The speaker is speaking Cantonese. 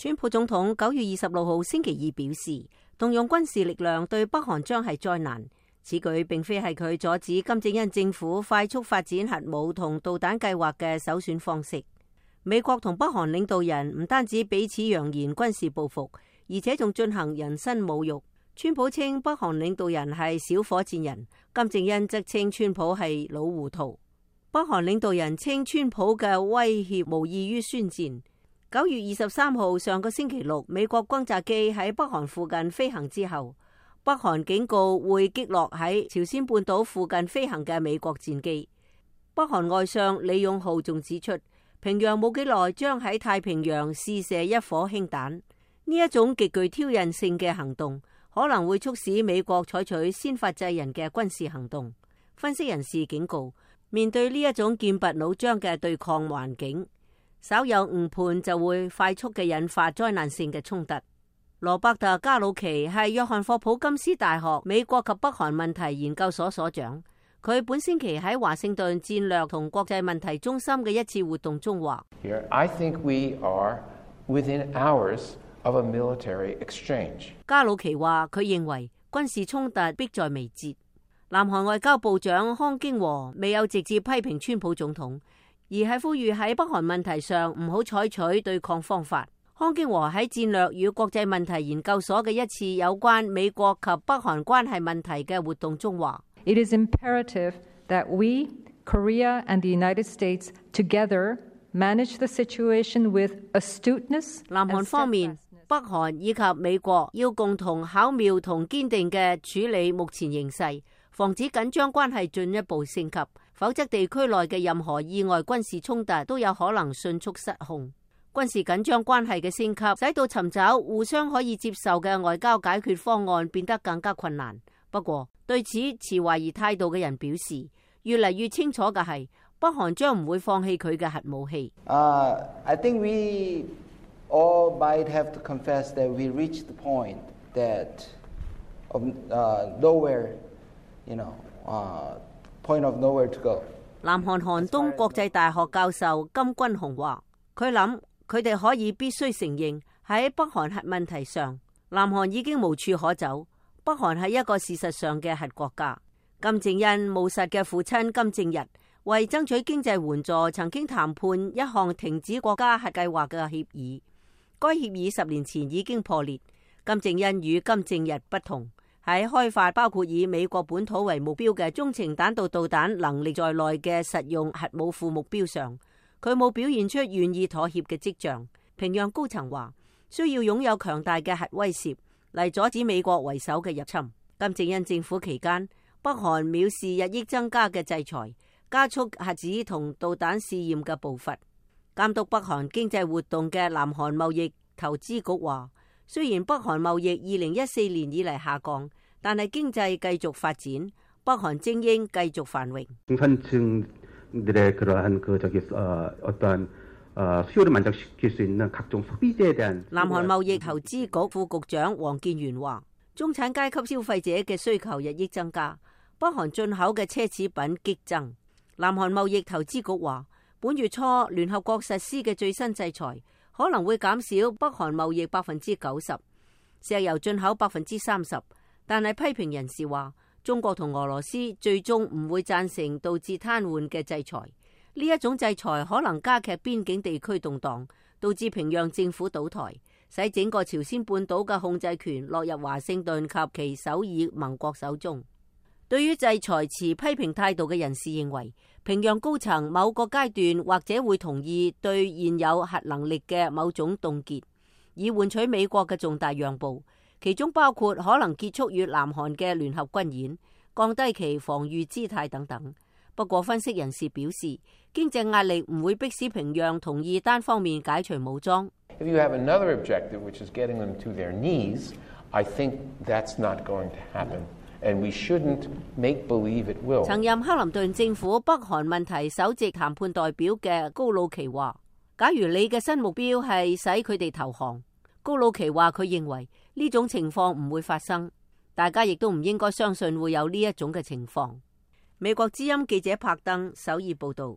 川普總統9月26號星期二表示，動用軍事力量對北韓將係災難。此舉並非係佢阻止金正恩政府快速發展核武同導彈計劃嘅首選方式。美國同北韓領導人唔單止彼此揚言軍事報復，而且仲進行人身侮辱。川普稱北韓領導人係小火箭人，金正恩則稱川普係老糊塗。北韓領導人稱川普嘅威脅無異於宣戰。9月23號上個星期六，美國轟炸機喺北韓附近飛行之後，北韓警告會擊落喺朝鮮半島附近飛行嘅美國戰機。北韓外相李勇浩仲指出，平壤冇幾耐將喺太平洋試射一顆氫彈。呢一種極具挑釁性嘅行動，可能會促使美國採取先發制人嘅軍事行動。分析人士警告，面對呢一種劍拔弩張嘅對抗環境，稍有誤判就會快速嘅引發災難性嘅衝突。羅伯特加魯奇係約翰霍普金斯大學美國及北韓問題研究所所長，佢本星期喺華盛頓戰略同國際問題中心嘅一次活動中話：I think we are within hours of a military exchange。加魯奇話佢認為軍事衝突迫在眉睫。南韓外交部長康京和未有直接批評川普總統，而係呼籲喺北韓問題上唔好採取對抗方法。康京和喺戰略與國際問題研究所嘅一次有關美國及北韓關係問題嘅活動中話：It is imperative that we, Korea and the United States together manage the situation with astuteness。南韓方面，北韓以及美國要共同巧妙同堅定嘅處理目前形勢，防止緊張關係進一步升級，否則地區內嘅任何意外軍事衝突都有可能迅速失控。軍事緊張關係嘅升級，使到尋找互相可以接受嘅外交解決方案變得更加困難。不過，對此持懷疑態度嘅人表示，越嚟越清楚嘅係，北韓將唔會放棄佢嘅核武器。I think we all might have to confess that we reached the point that of nowhere, point of nowhere to go。南韓韓東國際大學教授金君雄話：佢諗佢哋可以必須承認喺北韓核問題上，南韓已經無處可走。北韓係一個事實上嘅核國家。金正恩務實嘅父親金正日為爭取經濟援助，曾經談判一項停止國家核計劃嘅協議。該協議10年前已經破裂。金正恩與金正日不同，喺開發包括以美國本土為目標嘅中程彈道導彈能力在內嘅實用核武庫目標上，佢冇表現出願意妥協嘅跡象。平壤高層話需要擁有強大嘅核威懾嚟阻止美國為首嘅入侵。金正恩政府期間，北韓藐視日益增加嘅制裁，加速核子同導彈試驗嘅步伐。監督北韓經濟活動嘅南韓貿易投資局話，雖然北韓貿易2014年以嚟下降，但係經濟繼續發展，北韓精英繼續繁榮。南韓貿易投資局副局長黃建元話：中產階級消費者嘅需求日益增加，北韓進口嘅奢侈品激增。南韓貿易投資局話，本月初聯合國實施嘅最新制裁可能會減少北韓貿易90%，石油進口30%，但係批評人士話，中國同俄羅斯最終唔會贊成導致癱瘓嘅制裁。呢一種制裁可能加劇邊境地區動盪，導致平壤政府倒台，使整個朝鮮半島嘅控制權落入華盛頓及其首爾盟國手中。對於制裁持批評態度嘅人士認為，平壤高層某個階段或者會同意對現有核能力嘅某種凍結，以換取美國嘅重大讓步，其中包括可能結束與南韓嘅聯合軍演、降低其防禦姿態等等。不過，分析人士表示，經濟壓力唔會迫使平壤同意單方面解除武裝。If you have another objective, which is getting them to their knees, I think that's not going to happen, and we shouldn't make believe it will. 曾任克林頓政府北韓問題首席談判代表嘅高魯奇話：假如你嘅新目標係使佢哋投降，高魯奇話佢認為呢種情況唔會發生，大家亦都唔應該相信會有呢一種嘅情況。美國之音記者柏登首爾報道。